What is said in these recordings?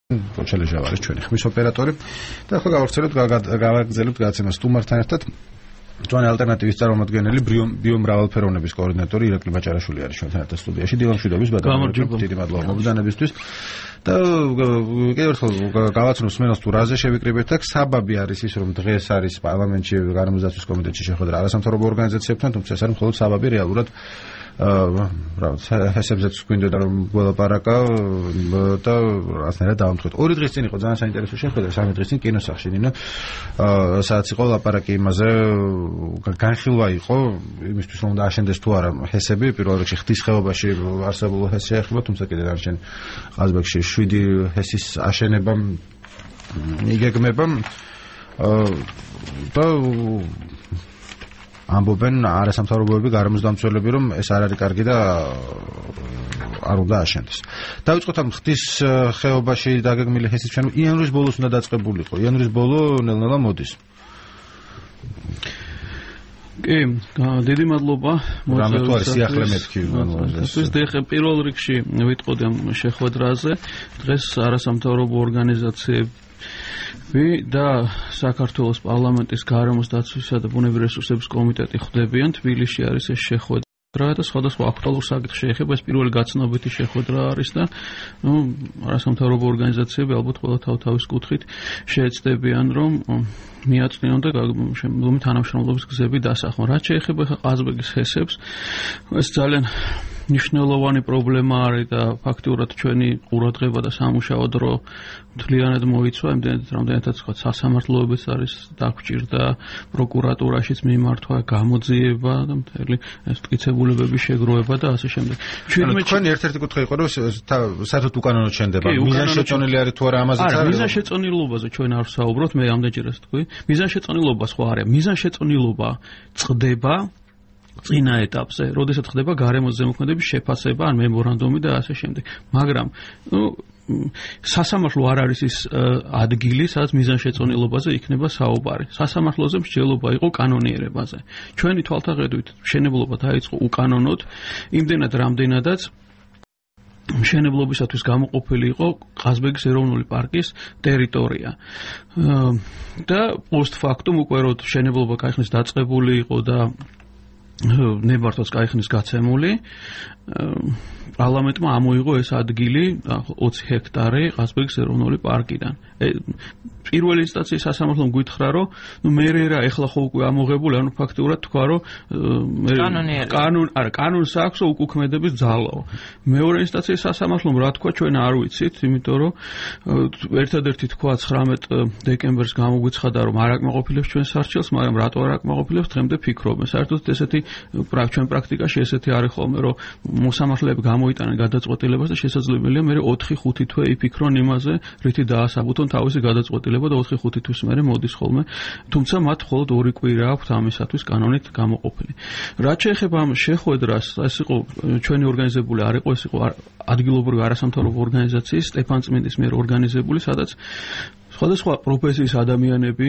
ჩელეჟა არის ჩვენი ხმის ოპერატორი და ახლა გავაგრძელებთ გადაცემას სტუმართან ერთად ჩვენი ალტერნატივის წარმომადგენელი ბიომრავალფეროვნების კოორდინატორი ირაკლი ბაჭარაშვილი არის ჩვენთან ერთად სტუდიაში. დილამშვიდობის ბატონო, დიდი მადლობა მობრძანებისთვის და კიდევ ერთხელ გავაცნობს მენას თუ რაზე შევიკრიბეთ აქ. საბაბი არის ის, რომ დღეს არის პარლამენტში გარემოსდაცვის კომიტეტში შეხვედრა არასამთავრობო ორგანიზაციებთან, თუმცა ეს არის მხოლოდ საბაბი რეალურად ჰესებზეც გვინდოდა რომ გველაპარაკა და რაღაცნაირად დავამტყით. 2 დღის წინ იყო ძალიან საინტერესო შეხვედრა, 3 დღის წინ კინოსახლში ნინო, სადაც იყო ლაპარაკი იმაზე, განხილვა იყო იმისთვის რომ დააშენდეს თუ არა ჰესები, პირველ რიგში ხდის ხეობაში არსებულ ჰესს შეეხება, თუმცა კიდე დარჩენ ყაზბეგში 7 ჰესის აშენება იგეგმება და ამბობენ არასამთავრობოები გარემოსდამცველები რომ ეს არ არის კარგი და არ უნდა აშენდეს. დავიწყოთ ამ ხდის ხეობაში დაგეგმილი ჰესის ჩვენ იანვრის ბოლოს უნდა დაწყებულიყო. იანვრის ბოლო ნელ-ნელა მოდის. კი, დიდი მადლობა. რამე თუ არის სიახლე მეთქი ეს პირველ რიგში ვიტყოდი ამ შეხვედრაზე. დღეს არასამთავრობო ორგანიზაციები და საქართველოს პარლამენტის გარემოსდაცვისა და ბუნებრივი რესურსების კომიტეტი ხვდებიან. თბილისში არის ეს შეხვედრა და სხვადასხვა აქტუალურ საკითხს შეეხება. ეს პირველი გაცნობიტი შეხვედრა არის და არასამთავრობო ორგანიზაციები ალბათ ყველა თავის კუთხით შეეცდებიან რომ მიაწვნონ და შემდგომი თანამშრომლობის გზები დასახმონ. რაც შეეხება ყაზბეგის ჰესებს, ეს ძალიან მნიშვნელოვანი პრობლემა არის და ფაქტიურად ჩვენი ყურადღება და სამუშაო დრო მთლიანად მოიცვა. იმდენად რამდენადაც თქვა სასამართლოებიც არის დაგჭირდა, პროკურატურაშიც მიმართვა, გამოძიება და მთელი ეს მტკიცებულებების შეგროვება და ასე შემდეგ. ჩვენი ერთ-ერთი კუთხე იყო რომ საერთოდ უკანონოდ შენდება. მიზანშეწონილი არის თუ არა ამაზეც არის. არა, მიზანშეწონილობაზე ჩვენ არ ვსაუბრობთ, მე ამდენჯერაც თქვი. მიზანშეწონილობა სხვა არის. მიზანშეწონილობა წყდება წინა ეტაპზე, როდესაც ხდება გარემოს ზემოქმედების შეფასება, ან მემორანდუმი და ასე შემდეგ. მაგრამ სასამართლო არ არის ის ადგილი, სადაც მიზანშეწონილობაზე იქნება საუბარი. სასამართლოზე მსჯელობა იყო კანონიერებაზე. ჩვენი თვალთახედვით მშენებლობა დაიწყო უკანონოდ, იმდენად რამდენადაც მშენებლობისათვის გამოყოფილი იყო ყაზბეგის ეროვნული პარკის ტერიტორია. და პოსტფაქტუმ უკვე რომ მშენებლობა კაიხნის დაწყებული იყო და ნებართვაც კაიხნის გაცემული, პარლამენტმა ამოიღო ეს ადგილი 20 ჰექტარი ყაზბეგის ეროვნული პარკიდან. პირველი ინსტანციის სასამართლომ გითხრა რომ მე რა ეხლა ხო უკვე ამოღებული, ანუ ფაქტიურად თქვა რომ კანონს აქვს უკუქმედების ძალაო. მეორე ინსტანციის სასამართლომ რა თქვა ჩვენ არ ვიცით, იმიტომ რომ ერთადერთი თქვა 19 დეკემბერს გამოგვიცხადა რომ არ აკმაყოფილებს ჩვენ სარჩელს, მაგრამ რატო არ აკმაყოფილებს დღემდე ფიქრობენ. საერთოდ ესეთი ჩვენ პრაქტიკაში ესეთი არის ხოლმე რომ მოსამართლეები გამოიტანენ გადაწყვეტილებას და შესაძლებელია მე 4-5 თვე იფიქრონ იმაზე, რითი დაასაბუთონ თავისი გადაწყვეტილება და 4-5 თვის მერე მოდის ხოლმე. თუმცა მათ მხოლოდ 2 კვირა აქვთ ამისათვის კანონით გამოყოფილი. რაც შეეხება ამ შეხვედრას, ეს იყო ჩვენი ორგანიზებული არ იყო, ეს იყო ადგილობრივი არასამთავრობო ორგანიზაციის სტეფანწმინდის მიერ ორგანიზებული, სადაც სხვადასხვა პროფესიის ადამიანები,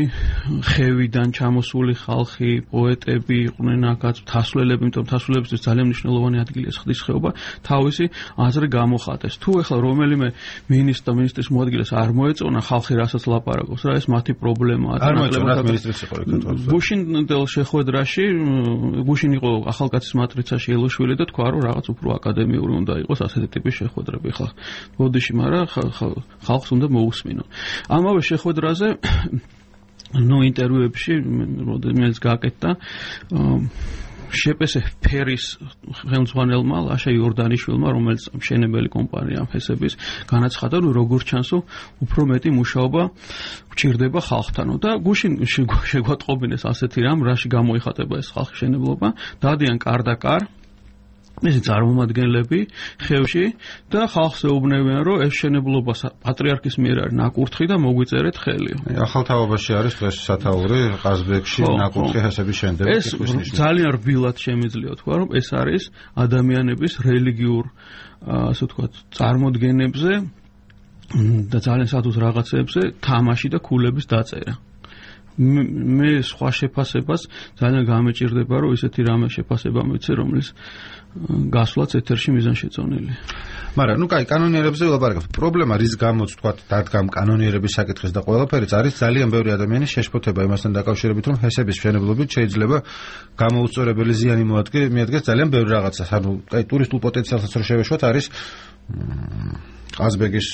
ხევიდან ჩამოსული ხალხი, პოეტები იყვნენ აქაც, მთასვლელები, იმიტომ რომ მთასვლელებისთვის ძალიან მნიშვნელოვანი ადგილია ხდის ხეობა, თავისი აზრი გამოხატეს. თუ ეხლა რომელიმე მინისტრის მოადგილეს არ მოეწონა ხალხი რასაც ლაპარაკობს, რა ეს მათი პრობლემაა. არ მოეწონა მინისტრის იყო გუშინდელ შეხვედრაში, გუშინ იყო ახალკაცის მატრიცაში ელოშვილი და თქვა რომ რაღაც უფრო აკადემიური უნდა იყოს ასეთი ტიპის შეხვედრები. ხა ბოდიში, მაგრამ ხალხს უნდა მოусმინო. შეხვედრაზე ინტერვიუებში რომელიც გააკეთდა შეპესე ფერის ხელმძღვანელმა ლაშა იორდანიშვილმა, რომელიც მშენებელი კომპანია ჰესების, განაცხადა, რომ როგორც ჩანს, უფრო მეტი მუშაობა გვჭირდება ხალხთანო და გუშინ შეგვატყობინეს ასეთი რამ, რაში გამოიხატება ეს ხალხის მშენებლობა, დადიან კარ-და-კარ მისი წარმომადგენლები ხევში და ხალხს ეუბნებიან, რომ ეს მშენებლობა პატრიარქის მიერ არის ნაკურთხი და მოგვიწერეთ ხელი. ახალ თავობაში არის დღეს სათაური ყაზბეგში ნაკურთხი ჰესების შენდება. ეს ძალიან რბილად შემიძლია თქვა, რომ ეს არის ადამიანების რელიგიურ, ასე ვთქვათ, წარმოდგენებზე და ძალიან სადუს რაღაცებზე თამაში და ქულების დაწერა. მე სხვა შეფასებას ძალიან გამეჭირდება, რომ ისეთი რამე შეფასება მიცე, რომლის გასვლაც ეთერში მიზანშეწონილი. მაგრამ კაი, კანონიერებზე ვილაპარაკებთ. პრობლემა რის გამოც თქვა დადგამ კანონიერების საკითხის და ყველაფერიც არის ძალიან ბევრი ადამიანის შეშფოთება იმასთან დაკავშირებით, რომ ჰესების მშენებლობით შეიძლება გამოუწორებელი ზიანი მიადგეს ძალიან ბევრი რაღაცას. ანუ კაი, ტურისტულ პოტენციალსაც რო შევეშვათ, არის ყაზბეგის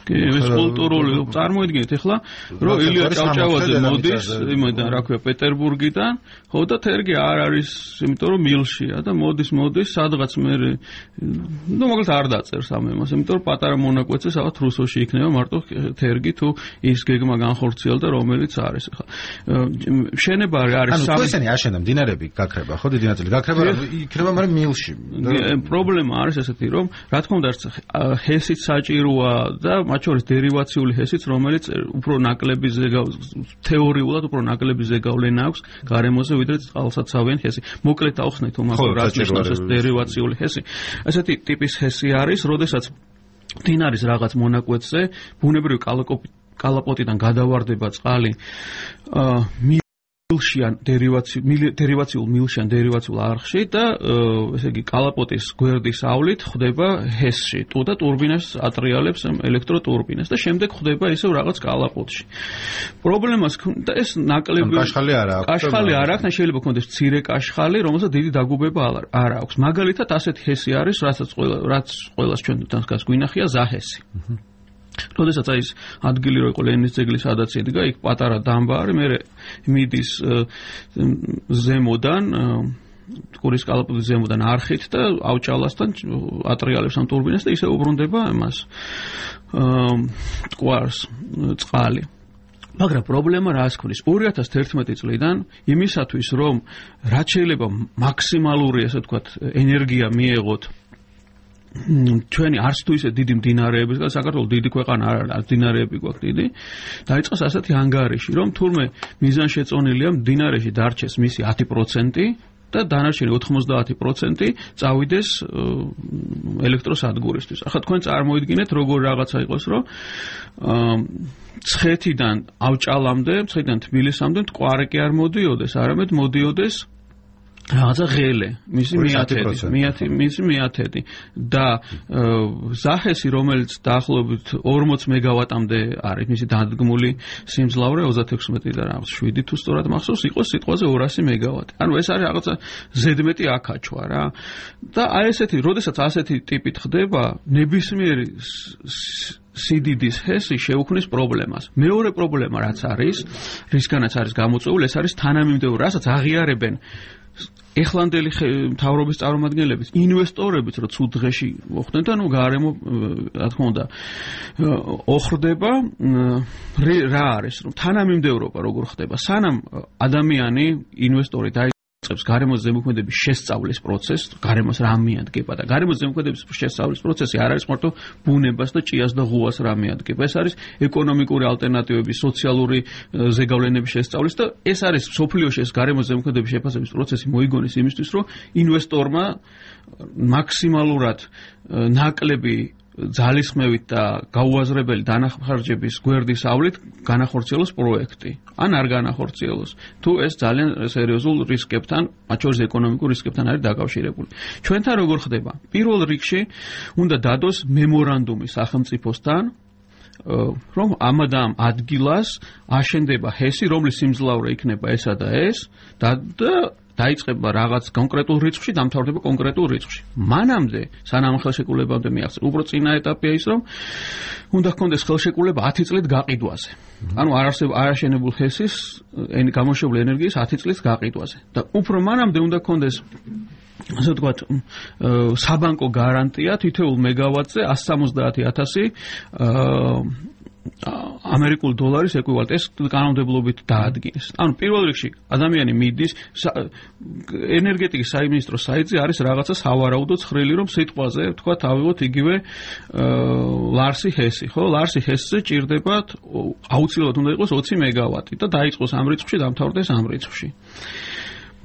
ეს კულტურული წარმოიდგინეთ ახლა რომ ილია ჭავჭავაძე მოდის იმიდან რა ქვია პეტერბურგიდან ხო და თერგი არ არის იმიტომ რომ მილშია და მოდის სადღაც მე ნუ მაგალითად არ დაწერს ამ ემას იმიტომ რომ პატარა მონაკვეთზე სადღაც რუსოში იქნება მარტო თერგი თუ ის გეგმა განხორციელდა რომელიც არის ახლა შენება არის ანუ ესენი აშენდა მდინარეები გაქრება ხო დიდი ნაწილი გაქრება იქნება მაგრამ მილში პრობლემა არის ესეთი რომ რა თქმა უნდა ჰესიც საჭიროა და მათ შორის დერივაციული ჰესიც, რომელიც უფრო ნაკლები თეორიულად უფრო ნაკლები ზეგავლენა აქვს გარემოზე, ვიდრე წყალსაცავიანი ჰესი. მოკლედ ავხსნით უმაღლეს რას ნიშნავს ეს დერივაციული ჰესი. ესეთი ტიპის ჰესი არის, როდესაც მდინარის რაღაც მონაკვეთზე ბუნებრივი კალაპოტიდან გადავარდება წყალი მილშიან დერივაციულ მილშიან დერივაციულ არხში და ესე იგი კალაპოტის გვერდის ავლით ხდება ჰესში და ტურბინას ატრიალებს ელექტროტურბინას და შემდეგ ხდება ისევ რაღაც კალაპოტში. პრობლემას და ეს ნაკლები კაშხალი არ აქვს, შეიძლება ქონდეს მცირე კაშხალი, რომელსაც დიდი დაგუბება არ აქვს. მაგალითად ასეთი ჰესი არის, რაც ყველას ჩვენთან გვინახია ზაჰესი. როდესაც ის ადგილი რო იყო ლენინის ძეგლის სადაც იდგა, იქ პატარა დამბა არის, მე მიდის ზემოდან ყურის კალაპოტის ზემოდან არხით და ავჭალასთან ატრიალებს ამ ტურბინას და ისე უბრუნდება ამას მტკვარს წყალი. მაგრამ პრობლემა რას ქონს 2011 წლიდან იმისათვის რომ რაც შეიძლება მაქსიმალური ასე ვთქვათ ენერგია მიეღოთ ჩვენი არც თუ ისე დიდი მდინარეების, საქართველოს დიდი ქვეყანა არ არის, მდინარეები გვაქვს დიდი. დაიწყოს ასეთი ანგარიში, რომ თურმე მიზანშეწონილია მდინარეში დარჩეს მისი 10% და დანარჩენი 90% წავიდეს ელექტროსადგურისთვის. ახლა თქვენ წარმოიდგინეთ, როგორ რაღაცა იყოს, რომ ცხეთიდან ავჭალამდე, ცხეთიდან თბილისამდე მტკვარი კი არ მოდიოდეს, არამედ მოდიოდეს რაღაცა ღელე, მისი მიათედი და ზაჰესი, რომელიც დაახლოებით 40 მეგავატამდე არის, მისი დადგმული სიმძლავრე 36 და რაღაც 7 თუ სწორად მახსოვს, იყოს სიტყვაზე 200 მეგავატი. ანუ ეს არის რაღაცა ზედმეტი აკაჩვა რა. და აი ესეთი, როდესაც ასეთი ტიპით ხდება, ნებისმიერი სიდიდის ჰესი შეუქმნის პრობლემას. მეორე პრობლემა რაც არის, რისგანაც არის გამოწვეული, ეს არის თანამიმდევრული, რასაც აღიარებენ ეხლანდელი მთავრობის წარმომადგენლების ინვესტორებიც რო ცუდ დღეში მოხდნენ და ნუ გარემო რა თქმა უნდა ოხრდება რა არის რომ თანამიმდევრობა როგორ ხდება სანამ ადამიანი ინვესტორი დაიწყებს გარემოს ზემოქმედების შესწავლის პროცესს გარემოს რა მიადგება და გარემოს ზემოქმედების შესწავლის პროცესი არ არის მარტო ბუნებას და ჭიას და ღუას რა მიადგება ეს არის ეკონომიკური ალტერნატივების სოციალური ზეგავლენების შესწავლის და ეს არის სოფლიოში ეს გარემოს ზემოქმედების შეფასების პროცესი მოიგონეს იმისთვის რომ ინვესტორმა მაქსიმალურად ნაკლები ძალისხმევით და გაუაზრებელი დანახარჯების გვერდის ავლით განახორციელოს პროექტი. ან არ განახორციელოს. თუ ეს ძალიან სერიოზულ რისკებთან, მათ შორის ეკონომიკურ რისკებთან არის დაკავშირებული. ჩვენთან როგორ ხდება? პირველ რიგში უნდა დადოს მემორანდუმი სახელმწიფოსთან, რომ ამადამ ადგილას აშენდება ჰესი, რომლის სიმძლავრე იქნება ესა და ეს და დაიწყება რაღაც კონკრეტულ რიცხვში, დამთავრდება კონკრეტულ რიცხვში. მანამდე, სანამ ხელშეკრულებამდე მიაღწია, უფრო წინა ეტაპია ის, რომ უნდა ჰქონდეს ხელშეკრულება 10 წლით გაყიდვაზე. ანუ არაშენებულ ჰესის გამოშვებული ენერგიის 10 წლით გაყიდვაზე. და უფრო მანამდე უნდა ჰქონდეს ასე ვთქვათ, საბანკო გარანტია თითოეულ მეგავატზე 170,000 ამერიკულ დოლარის ეკვივალენტი ეს კანონმდებლობით დაადგინეს. ანუ პირველ რიგში ადამიანი მიდის ენერგეტიკის სამინისტროს საიტზე არის რაღაცა სავარაუდო ცხრილი რომ სიტყვაზე თქვა ავიღოთ იგივე ლარსი ჰესი, ხო? ლარსი ჰესზე ჭირდებათ აუცილებლად უნდა იყოს 20 მეგავატი და დაიწყოს ამ რიცხვში, დამთავრდეს ამ რიცხვში.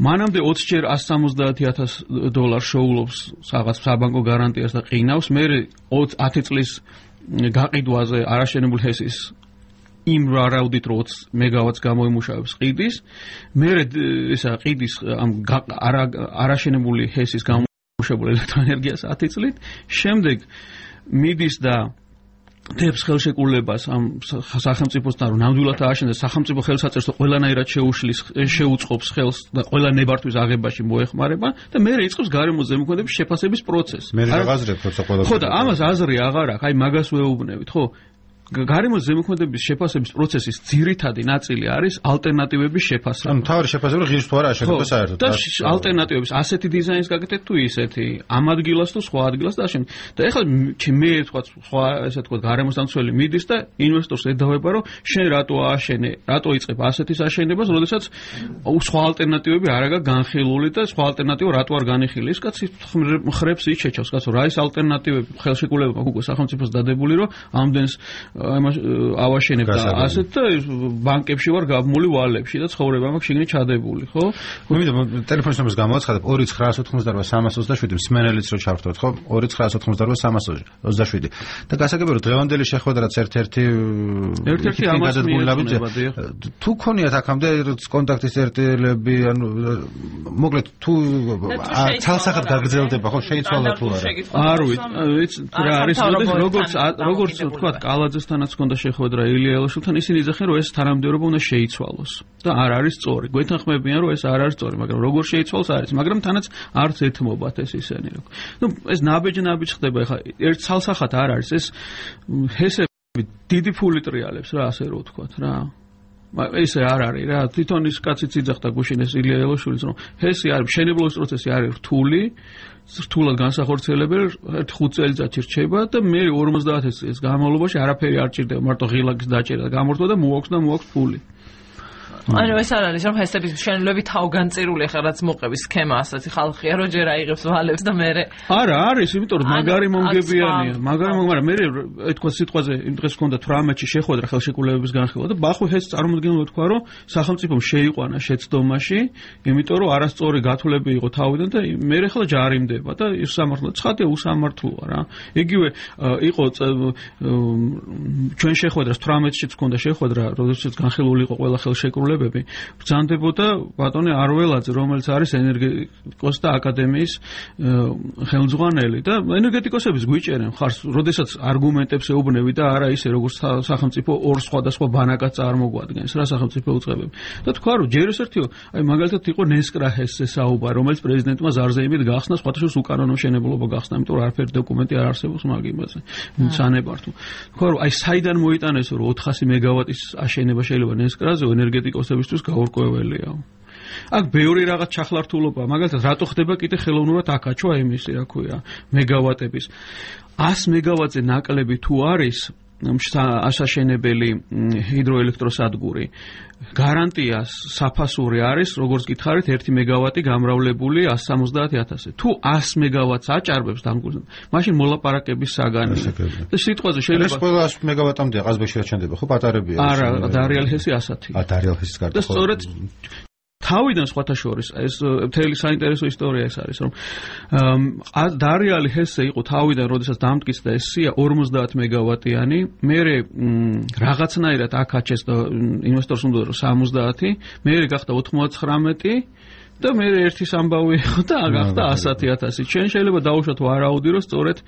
მანამდე 20 ჯერ 170,000 დოლარს შოულობს რაღაც საბანკო გარანტიას და ყინავს, მე 10 წლის გაყიდვაზე არაშენებულ ჰესის იმ ვარაუდით 20 მეგავატს გამოიმუშავებს ყიდის, მერე ესა ყიდის ამ არაშენებული ჰესის გამომუშავებულ ელექტროენერგიას 10 წლით, შემდეგ მიდის და დებს ხელშეკრულებას ამ სახელმწიფოსთან რომ ნამდვილად ააშენდეს სახელმწიფო ხელსაწერს და ყველანაირად შეუწყობს ხელს და ყველა ნებართვის აღებაში მოეხმარება და მერე იწყებს გარემოს ზემოქმედების შეფასების პროცესს. მე რაღაცრებს როცა ყველა ხო და ამას აზრი აღარ აქვს, აი მაგას ვეუბნებით, ხო? გარემოს ზემოქმედების შეფასების პროცესის ძირითადი ნაწილი არის ალტერნატივების შეფასება. ანუ თავი შეფასება ღირს თუ არა აშენდება საერთოდ. და ალტერნატივების ასეთი დიზაინის გაკეთეთ თუ ისეთი ამ ადგილას თუ სხვა ადგილას და აშენ. და ეხლა მე თქვა სხვა ესე თქვა გარემოს დამცველი მიდის და ინვესტორს ედავება რომ შენ რატო ააშენე, რატო იწყებ ასეთის აშენებას, როდესაც სხვა ალტერნატივები არ არის განხილული და სხვა ალტერნატივა რატო არ განიხილი. ის კაცი ხრებს იჩეჩავს, კაცო, რა ის ალტერნატივები ხელშეკრულება უკვე სახელმწიფოს დადებული რომ ამდენს ავაშენებ და ასეთ და ბანკებში ვარ გაბმული ვალებში და ცხოვრება მაქვს შიგნით ჩადებული, ხო? მე ტელეფონის ნომერს გამოაცხადებ 2988 მსმენელიც რო ჩავხტოთ, ხო? 2988 და გასაგებია რომ დღევანდელი შეხვედრა ერთ-ერთი ამას მიეწონება. თუ ქონიათ აქამდე კონტაქტის წერტილები, ანუ მოკლედ თუ ცალსახად გაგრძელდება, ხო, შეიცვალა თუ არა? არ ვიცი, რა არის, როგორც თქვა კალაძესთანაც ჰქონდა შეხვედრა ილია ელაშვილთან, ისინი იძახენ რომ ეს თანამდებობა უნდა შეიცვალოს და არ არის სწორი. გვეთანხმებიან რომ ეს არ არის სწორი, მაგრამ როგორ შეიცვალოს არის, მაგრამ თანაც არც ეთმობათ ეს ისენი. ნუ ეს ნაბეჯი ხდება, ეხლა ერთ ცალსახად არ არის ეს ჰესები დიდი ფული ტრიალებს რა, ასე რო ვთქვათ რა. ესე არ არის რა, თვითონ ის კაციც იძახდა გუშინეს ილია ელაშვილის რომ ჰესი არის მშენებლობის პროცესი არის რთული, რთულად განსახორციელებელი, 5 წელიწადში რჩება და მე 50 წელს განმავლობაში არაფერი არ ჭირდება, მარტო ღილაკის დაჭერა და გამორთვა და მოაქვს ფული. ანუ ეს არ არის რომ ჰესების მშენებლები თავგანწირული ხარ რაც მოყების სქემა ასეთი ხალხია რომ ჯერ აიღებს ვალებს და მერე არა არის, იმიტომ რომ მაგარი მომგებიანია, მაგრამ მე თქვა სიტყვაზე იმ დღეს ჰქონდა 18-ში შეხვედრა ხელშეკრულებების განხილვა და ბახო ეს წარმოუდგენლად თქვა რომ სახელმწიფომ შეიყვანა შეცდომაში, იმიტომ რომ არასწორი გათვლები იყო თავიდან და მე ახლა ჯარიმდება და ის სამართლოა, ცხადია უსამართლოა რა. იგივე იყო ჩვენ შეხვედრას 18-შიც ჰქონდა შეხვედრა, როდესაც განხილული იყო ყველა ხელშეკრულება ბრძანდებოდა ბატონი არველაძე, რომელიც არის ენერგეტიკოს და აკადემიის ხელმძღვანელი და ენერგეტიკოსების გვიჭერენ ხარს, როდესაც არგუმენტებს ეუბნები და არა ისე როგორც სახელმწიფო ორ სხვადასხვა ბანაკად წარმოგვადგენს რა სახელმწიფო უწყებები. და თქვა რომ ჯერ ესერთიო, აი მაგალითად იყო ნესკრაჰესზე საუბარი, რომელიც პრეზიდენტმა ზარზეიმით გახსნა, სხვათა შორის უკანონო მშენებლობა გახსნა, იმიტომ რომ არაფერი დოკუმენტი არ არსებობს მაგ იმაზე. სანებართო. თქვა რომ აი საიდან მოიტანესო რომ 400 მეგავატის აშენება შეიძლება ნესკრაზე ენერგეტიკოსებისთვის გაურკვეველია. აქ ბევრი რაღაც ჩახლართულობა, მაგალითად რატო ხდება კიდე ხელოვნურად აკაჩვა იმისი, რა ქვია, მეგავატების 100 მეგავატზე ნაკლები თუ არის ასაშენებელი ჰიდროელექტროსადგური, გარანტია საფასური არის, როგორც გითხარით, 1 მეგავატი გამრავლებული 170,000-ზე. თუ 100 მეგავატს აჭარბებს დამგულს, მაშინ მოლაპარაკების საგანია. და სიტყვაზე შეიძლება ეს ყველა 100 მეგავატამდე ყაზბეგში რაჩენდება, ხო, პატარებია. არა, დარიალ ჰესი 100. დარიალ ჰესის კარტა. და სწორედ თავიდან სხვათა შორის ეს მთელი საინტერესო ისტორია ეს არის, რომ დარიალი ჰესე იყო თავიდან, როდესაც დამტკიცდა ეს სია 50 მეგავატიანი, მერე რაღაცნაირად აკაჩეს და ინვესტორს უნდა რომ 70, მერე გახდა 99 და მე ერთის ამბავი იყო და გახდა 100,000. ჩვენ შეიძლება დავუშვათ ვარაუდი, რომ სწორედ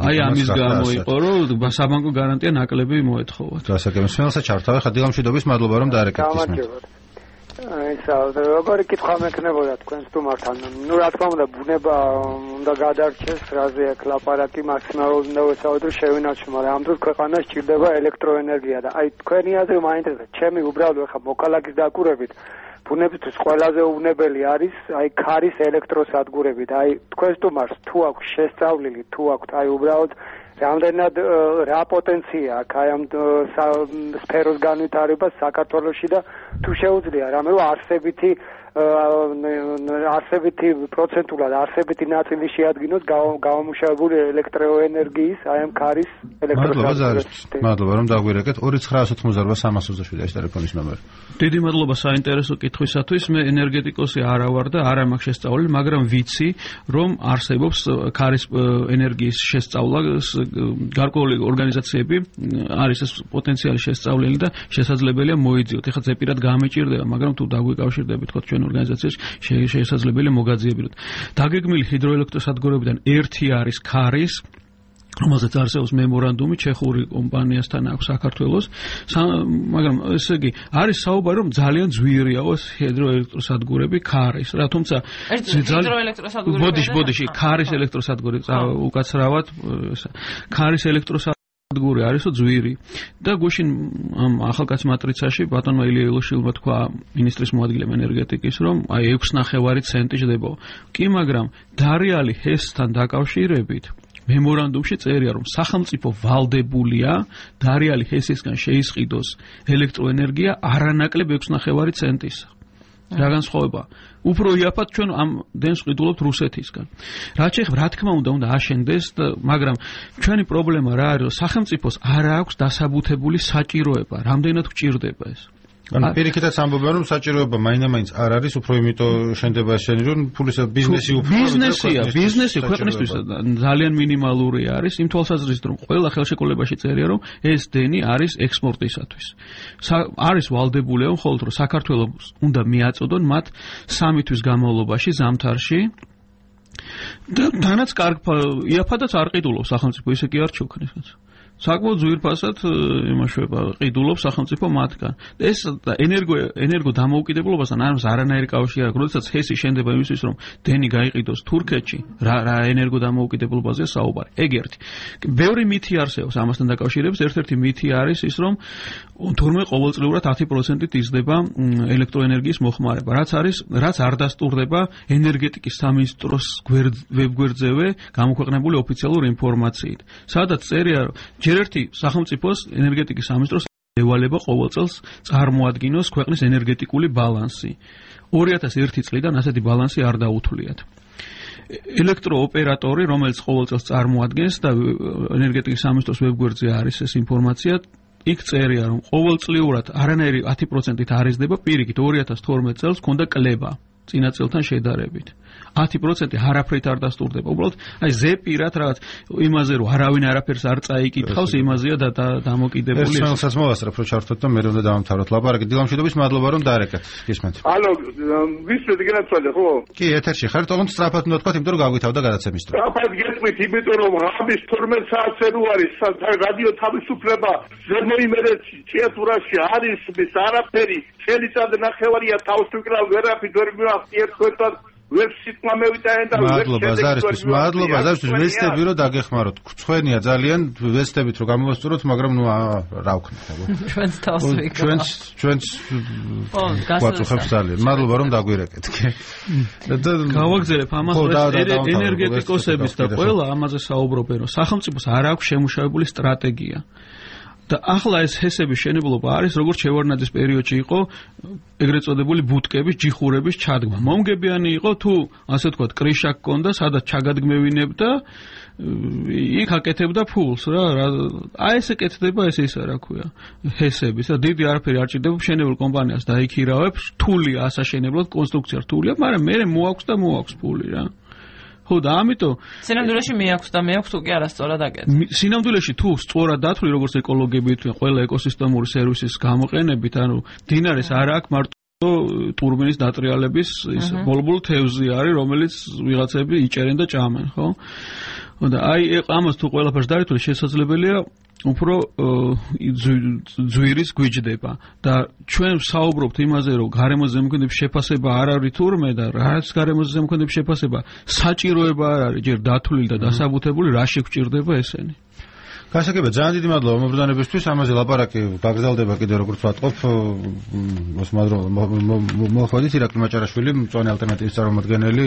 აი ამის გამო იყო, რომ საბანკო გარანტია ნაკლები მოეთხოვათ. გასაგებია, სმენელსაც ჩართავე, ხადიღამშვიდობის, მადლობა რომ დაარეკეთ ისმენ. ისა როგორი კითხვა მექნებოდა თქვენ სტუმართან. ნუ რა თქმა უნდა ბუნება უნდა გადარჩეს, რაზე აქ ლაპარაკი მაქსიმალურად უნდა ვესაუბროთ, შევინარჩუნოთ, მაგრამ ამ დროს ქვეყანას ჭირდება ელექტროენერგია და აი თქვენი აზრი მაინტერესებს. ჩემი უბრალოდ ხა მოქალაქის დაკვირვებით ბუნებისთვის ყველაზე უვნებელი არის აი ქარის ელექტროსადგურები და აი თქვენ სტუმარს თუ აქვს შესწავლილი, თუ აქვს აი უბრალოდ რამდენად რა პოტენცია აქვს აი ამ სფეროს განვითარებას საქართველოში და თუ შეუძლია რამე რომ არსებითი არსებითი პროცენტულად არსებითი ნაწილი შეადგინოს გამომუშავებული ელექტროენერგიის აი ამ ქარის ელექტროსადგურებში. მადლობა რომ დაგვირეკეთ 2988 ეს ტელეფონის ნომერი. დიდი მადლობა საინტერესო კითხვისათვის. მე ენერგეტიკოსი არა ვარ და არ მაქვს შესწავლილი, მაგრამ ვიცი რომ არსებობს ქარის ენერგიის შესწავლა გარკვეული ორგანიზაციები არის ეს პოტენციალი შესწავლილი და შესაძლებელია მოიძიოთ. ეხლა ზეპირად გამეჭირდება, მაგრამ თუ დაგვიკავშირდებით თქო ჩვენ ორგანიზაციაში შესაძლებელია მოგაძიებინოთ. დაგეგმილი ჰიდროელექტროსადგურებიდან ერთი არის ქარის, რომელზეც არსებობს მემორანდუმი ჩეხური კომპანიასთან აქვს საქართველოს, მაგრამ ესე იგი არის საუბარი რომ ძალიან ძვირიაო ეს ჰიდროელექტროსადგურები ქარის რა, თუმცა ბოდიში ქარის ელექტროსადგური უკაცრავად ქარის ელექტროსადგური არისო ძვირი და გუშინ ამ ახალგაზრდა მატრიცაში ბატონმა ილია ილოშვილმა თქვა მინისტრის მოადგილემ ენერგეტიკის რომ აი 6.9 ცენტი ჯდება. კი მაგრამ დარიალი ჰესთან დაკავშირებით მემორანდუმში წერია რომ სახელმწიფო ვალდებულია დარიალი ჰესისგან შეისყიდოს ელექტროენერგია არანაკლებ 6.9 ცენტისა. რა განსხვავება? უფრო იაფად ჩვენ ამ დენს ყიდულობთ რუსეთისგან. რა თქმა უნდა აშენდეს, მაგრამ ჩვენი პრობლემა რა არის, რომ სახელმწიფოს არ აქვს დასაბუთებული საჭიროება, რამდენად გვჭირდება ეს. ანუ პირიქითაც ამბობენ რომ საჭიროება მაინც არ არის, უფრო იმიტომ შენდება შენი რომ ფულის ბიზნესი ბიზნესი ქვეყნისთვის ძალიან მინიმალური არის, იმ თვალსაზრისით რომ ყველა ხელშეკრულებაში წერია რომ ეს დენი არის ექსპორტისათვის. არის ვალდებული მხოლოდ რომ საქართველოს უნდა მიაწოდონ მათ 3 თვის განმავლობაში ზამთარში და თანაც იაფადაც არ ყიდულობს სახელმწიფო, ისე კი არ ჩუქნის. საკმაოდ ძვირფასად იმაშვება ყიდულობს სახელმწიფო მათგან. ეს ენერგო დამოუკიდებლობასთან არანაირი კავშირი არ აქვს. როდესაც ჰესი შენდება იმისთვის, რომ დენი გაიყიდოს თურქეთში, რა ენერგო დამოუკიდებლობაზეა საუბარი. ეგ ერთი. ბევრი მითი არსებობს ამასთან დაკავშირებით. ერთ-ერთი მითი არის ის, რომ თურმე ყოველწლიურად 10%-ით იზრდება ელექტროენერგიის მოხმარება. რაც არ დასტურდება ენერგეტიკის სამინისტროს ვებგვერდზევე გამოქვეყნებული ოფიციალური ინფორმაციით. სადაც წერია ჯერ ერთი სახელმწიფოს ენერგეტიკის სამინისტროს ევალება ყოველ წელს წარმოადგინოს ქვეყნის ენერგეტიკული ბალანსი. 2001 წლიდან ასეთი ბალანსი არ დაუთვლიათ. ელექტროოპერატორი, რომელიც ყოველ წელს წარმოადგენს და ენერგეტიკის სამინისტროს ვებგვერდზე არის ეს ინფორმაცია, იქ წერია რომ ყოველწლიურად არანაირი 10%-ით არ იზრდება, პირიქით 2012 წელს ჰქონდა კლება წინა წელთან შედარებით. 10% არაფრით არ დასტურდება. უბრალოდ აი ზეპირად რაღაც იმაზე რომ არავინ არაფერს არ წაიკითხავს, იმაზეა დამოკიდებული. ეს რომელსაც მოვასწრებ რომ ჩართოთ და მე რომ დავამთავროთ ლაპარაკი. დილამშვიდობის მადლობა რომ დაარეკეთ. გისმენთ. ალო, ვისმენთ გენაცვალე ხო? კი, ეთერში ხართ, თუმცა სწრაფად უნდა თქვა, იმიტომ რომ გავგითავდა გადაცემის დრო. სწრაფად გეტყვით, იმიტომ რომ ამის 12 საათზე რო არის რადიო თავისუფლება ზემოიმერეთ ჭიათურაში არის ის არაფერი, წელიწად ნახევარია თავს ვიკრავ ვერაფრით ვერ მივახტი ერთგვარად ვებსიტმა მევიტანე და მადლობა ზარისთვის ვესტები რომ დაგეხმაროთ. ხვენია ძალიან ვესტებით რომ გამოვასწოროთ, მაგრამ ნუ რა ვქნათ აბა. ჩვენს თავს ვიკრავ. ჩვენს გვაწუხებს ძალიან. მადლობა რომ დაგვირეკეთ. გავაგზავნებ ამას ენერგეტიკოსების და ყველა ამაზე საუბრობენ, რომ სახელმწიფოს არ აქვს შემუშავებული სტრატეგია. და ახლა ეს ჰესების შენებლობა არის როგორც შევარდნაძის პერიოდში იყო ეგრეთ წოდებული ბუტკების ჯიხურების ჩადგმა. მომგებიანი იყო თუ ასე ვთქვათ კრიშა გქონდა, სადაც ჩაგადგმევინებდა, იქ აკეთებდა ფულს რა. აი ესე კეთდება ეს ისა რა ქვია ჰესების და დიდი არაფერი არ ჭირდება მშენებელ კომპანიას დაიქირავებს, რთულია ასაშენებლად, კონსტრუქცია რთულია, მაგრამ მე მოაქვს და მოაქვს ფული რა. ხო და ამიტომ სინამდვილეში მეაქვს და მეაქვს თუ კი არასწორად აკეთე. სინამდვილეში თუ სწორად დათვლი როგორც ეკოლოგიებით ყველა ეკოსისტემური სერვისის გამოყენებით, ანუ დინარეს არ აქვს მარტო ტურბინის დატრიალების ის ბოლბულ თევზი არის, რომელიც ვიღაცები იჭერენ და ჭამენ, ხო? და აი ამას თუ ყველაფერს დაითვლი შესაძლებელია უფრო ძვირის გვიჯდება და ჩვენ საუბრობთ იმაზე, რომ გარემოს ზემოქმედების შეფასება არ არის თურმე და რაც გარემოს ზემოქმედების შეფასება საჭიროება არ არის ჯერ დათვლილი და დასაბუთებული, რა შეგვჭირდება ესენი. გასაგებია, ძალიან დიდი მადლობა მომბრძანებისთვის. ამაზე ლაპარაკი გაგრძელდება კიდევ როგორც ვატყობ. მოსმადრო მოხდით ირაკლი მაჭარაშვილი, მწვანე ალტერნატივის წარმომადგენელი.